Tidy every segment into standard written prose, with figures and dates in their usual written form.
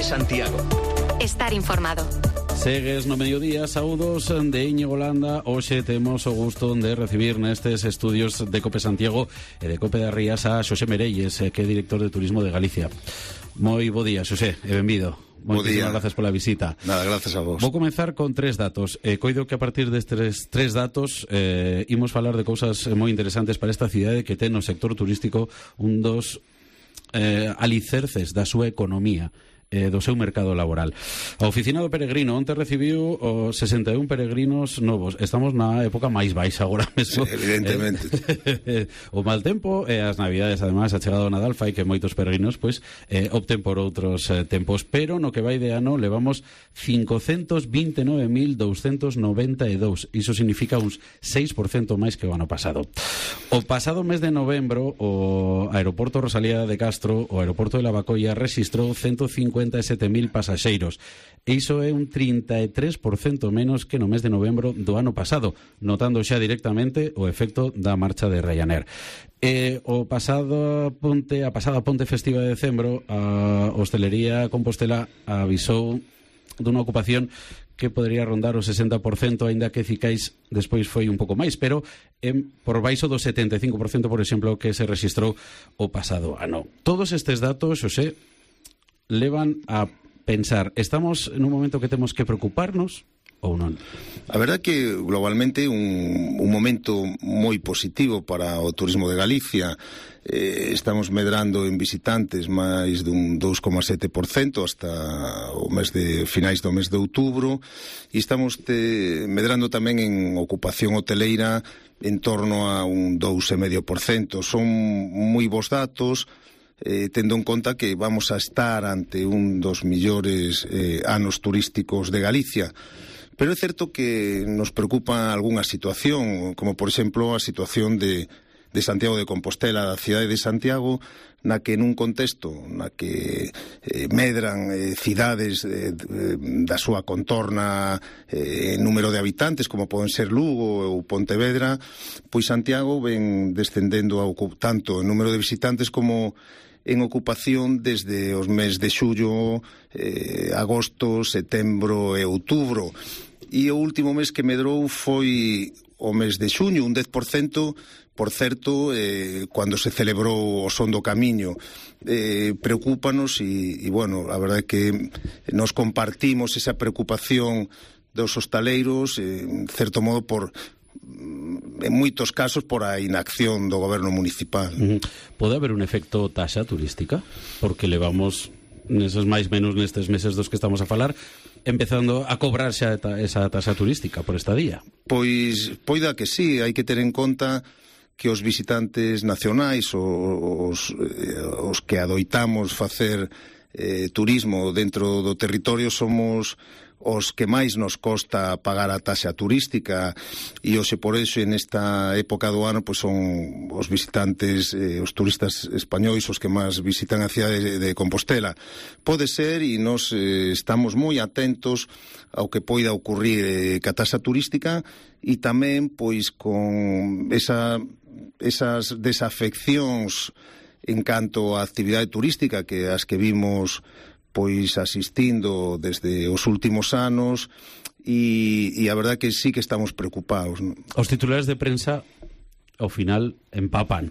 Cope Santiago. Estar informado. Segues no mediodía, saúdos de Íñigo Landa. Hoxe temos o gusto de recibir nestes estudios de Cope Santiago e de Cope das Rías a Xosé Merelles, que é director de Turismo de Galicia. Moi bo día, Xosé, e benvido. Moitísimas gracias pola visita. Nada, gracias a vos. Vou comenzar con 3 datos. Coido que a partir destes 3 datos imos falar de cousas moi interesantes para esta cidade que ten no sector turístico un dos alicerces da súa economía, do seu mercado laboral. A Oficina do Peregrino onte recibiu 61 peregrinos novos. Estamos na época máis baixa agora mesmo. Sí, evidentemente. O mal tempo e as navidades, ademais, a chegada do Nadal fai que moitos peregrinos opten por outros tempos, pero no que vai de ano levamos 529.292. Iso significa uns 6% máis que o ano pasado. O pasado mes de novembro, o aeroporto Rosalía de Castro, o aeroporto de Lavacolla, rexistrou 157.000 pasaxeiros. E iso é un 33% menos que no mes de novembro do ano pasado, notando xa directamente o efecto da marcha de Ryanair. A pasada ponte festiva de decembro, a hostelería Compostela avisou dunha ocupación que podería rondar o 60%, aínda que Cicais despois foi un pouco máis, pero por baixo do 75%, por exemplo, que se rexistrou o pasado ano. Todos estes datos, Xosé, levan a pensar, estamos en un momento que temos que preocuparnos ou non? A verdade que globalmente un momento moi positivo para o turismo de Galicia. Estamos medrando en visitantes máis dun 2,7% hasta o mes de finais do mes de outubro, e estamos medrando tamén en ocupación hoteleira en torno a un 2,5%. Son moi bons datos, tendo en conta que vamos a estar ante un dos millores anos turísticos de Galicia. Pero é certo que nos preocupa algunha situación, como por exemplo a situación de Santiago de Compostela, da cidade de Santiago, na que nun contexto na que medran cidades da súa contorna en número de habitantes, como poden ser Lugo ou Pontevedra, pois Santiago ven descendendo tanto en número de visitantes como en ocupación desde os mes de xullo, agosto, setembro e outubro. E o último mes que medrou foi o mes de xuño, un 10%, por certo, cando se celebrou o Son do Camiño. Preocúpanos e, bueno, a verdade é que nos compartimos esa preocupación dos hostaleiros, en certo modo, en moitos casos por a inacción do goberno municipal. Pode haber un efecto taxa turística? Porque levamos neses máis menos nestes meses dos que estamos a falar empezando a cobrar xa esa taxa turística por estadía. Pois poida que sí, hai que ter en conta que os visitantes nacionais, os que adoitamos facer turismo dentro do territorio, somos os que máis nos costa pagar a taxa turística, e hoxe por iso en esta época do ano pois son os visitantes, os turistas españois os que máis visitan a cidade de Compostela. Pode ser, e nos estamos moi atentos ao que poida ocurrir ca taxa turística, e tamén pois con esas desafeccións en canto á actividade turística que as que vimos pois asistindo desde os últimos anos, e a verdade que sí que estamos preocupados. Os titulares de prensa ao final empapan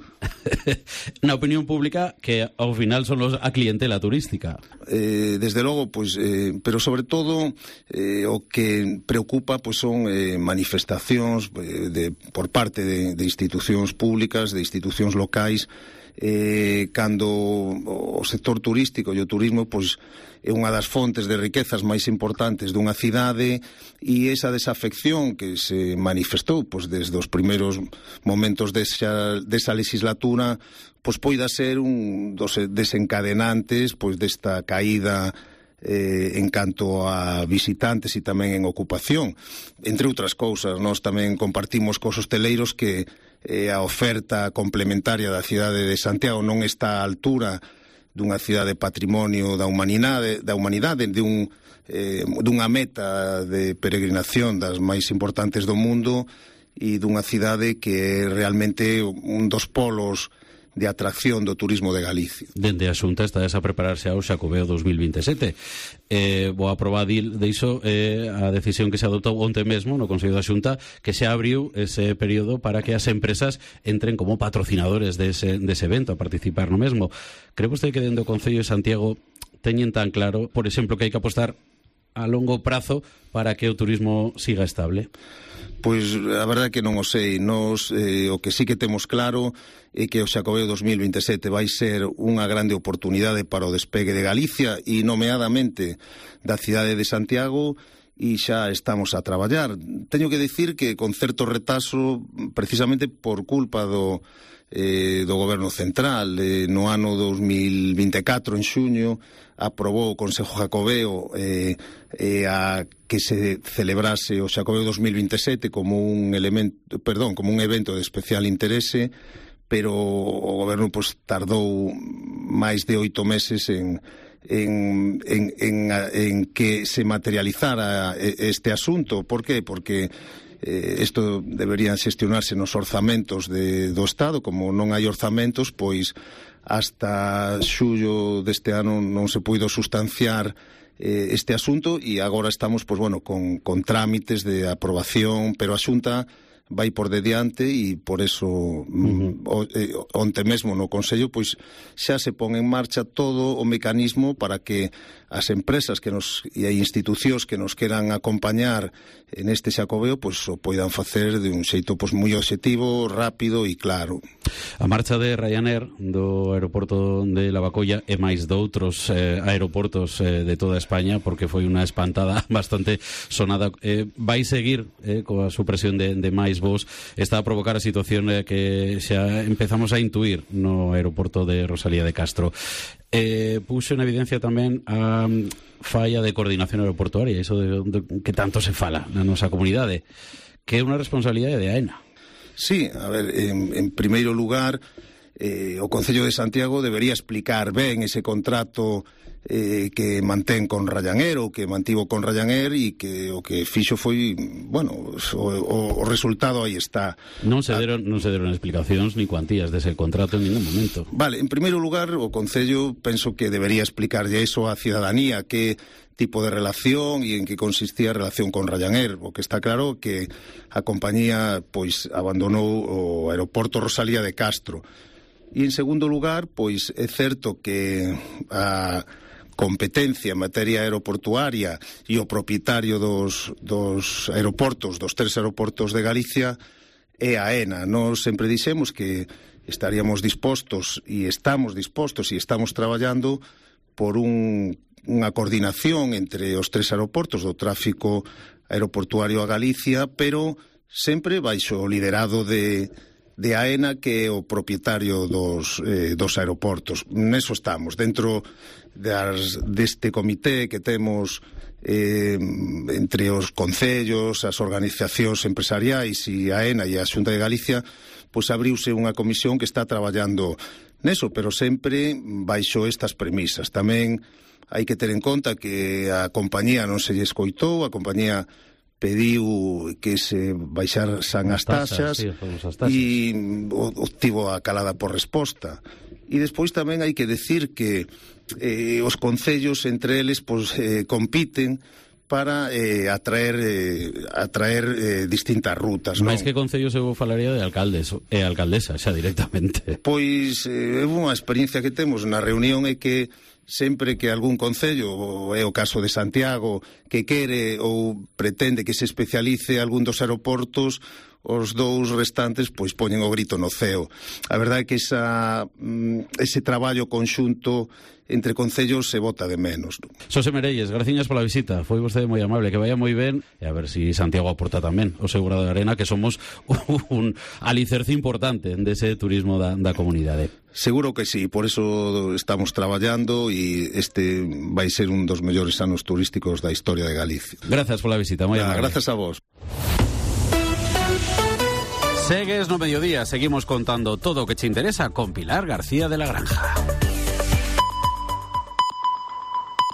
na opinión pública, que ao final son a clientela turística. Desde logo, pois, pero sobre todo o que preocupa pois son manifestacións por parte de institucións públicas, de institucións locais, cando o sector turístico e o turismo pois é unha das fontes de riquezas máis importantes dunha cidade, e esa desafección que se manifestou pois desde os primeiros momentos desa legislatura pois poida ser un dos desencadenantes pois desta caída en canto a visitantes e tamén en ocupación. Entre outras cousas, nós tamén compartimos cos hosteleiros que a oferta complementaria da cidade de Santiago non está á altura dunha cidade patrimonio da humanidade, dunha meta de peregrinación das máis importantes do mundo, e dunha cidade que é realmente un dos polos atracción do turismo de Galicia. Dende a Xunta está a prepararse ao Xacobeo 2027. Vou aprobar diso a decisión que se adoptou onte mesmo no Consello da Xunta, que se abriu ese período para que as empresas entren como patrocinadores dese evento a participar no mesmo. Cree vostede que dende o Concello de Santiago teñen tan claro, por exemplo, que hai que apostar a longo prazo para que o turismo siga estable? Pois a verdade é que non o sei. Nos, o que sí que temos claro é que o Xacobeo 2027 vai ser unha grande oportunidade para o despegue de Galicia e nomeadamente da cidade de Santiago, e xa estamos a traballar. Teño que dicir que con certo retraso, precisamente por culpa do Goberno Central. No ano 2024, en xuño, aprobou o Consello Xacobeo a que se celebrase o Xacobeo 2027 como un evento de especial interese, pero o Goberno tardou máis de 8 meses en que se materializara este asunto. Por qué? Porque isto deberían xestionarse nos orzamentos do Estado. Como non hai orzamentos, pois hasta xullo deste ano non se puido sustanciar este asunto, e agora estamos con trámites de aprobación, pero a Xunta vai por de diante, e por eso onte mesmo no Consello pois xa se pon en marcha todo o mecanismo para que as empresas e institucións que nos queran acompañar en este Xacobeo pois o poidan facer de un xeito moi obxectivo, rápido e claro. A marcha de Ryanair do aeroporto de Lavacolla e máis doutros aeroportos de toda España, porque foi unha espantada bastante sonada, vai seguir coa supresión de máis voos. Está a provocar a situación que xa empezamos a intuir no aeroporto de Rosalía de Castro. Puxo en evidencia tamén a falla de coordinación aeroportuaria, iso de que tanto se fala na nosa comunidade, que é unha responsabilidade de AENA. Sí, a ver, en primeiro lugar, o Concello de Santiago debería explicar ben ese contrato que mantén con Ryanair, ou que mantivo con Ryanair, e que o que fixo foi, o resultado aí está. Non se deron explicacións ni cuantías dese contrato en ningún momento. Vale, en primeiro lugar, o Concello penso que debería explicarlle iso á cidadanía, que tipo de relación e en que consistía a relación con Ryanair. O que está claro que a compañía pois abandonou o aeroporto Rosalía de Castro. E en segundo lugar, pois é certo que a competencia en materia aeroportuaria e o propietario dos aeroportos, dos 3 aeroportos de Galicia, é a AENA. Nós sempre dixemos que estaríamos dispostos e estamos traballando por unha coordinación entre os 3 aeroportos do tráfico aeroportuario a Galicia, pero sempre baixo o liderado de AENA, que é o propietario dos aeroportos. Neso estamos, dentro deste comité que temos entre os concellos, as organizacións empresariais e a AENA e a Xunta de Galicia, pois abriuse unha comisión que está traballando neso, pero sempre baixo estas premisas. Tamén hai que ter en conta que a compañía non se lle escoitou, a compañía pediu que se baixaran as taxas, e obtivo a calada por resposta. E despois tamén hai que decir que os concellos entre eles compiten para atraer distintas rutas. Mais que concellos eu falaría de alcaldes e alcaldesa xa directamente. Pois é unha experiencia que temos na reunión, é que sempre que algún concello, é o caso de Santiago, que quere ou pretende que se especialice algún dos aeroportos, os dous restantes pois poñen o grito no ceo. A verdade é que ese traballo conxunto entre concellos se bota de menos. Xosé Merelles, graciñas pola visita, foi vostede moi amable, que vaya moi ben, e a ver si Santiago aporta tamén o seu grado de arena, que somos un alicerce importante dese turismo da comunidade. Seguro que sí, por eso estamos traballando, e este vai ser un dos mellores anos turísticos da historia de Galicia. Gracias pola visita, moi amable. Gracias a vos. Segues no mediodía, seguimos contando todo o que te interesa con Pilar García de la Granja.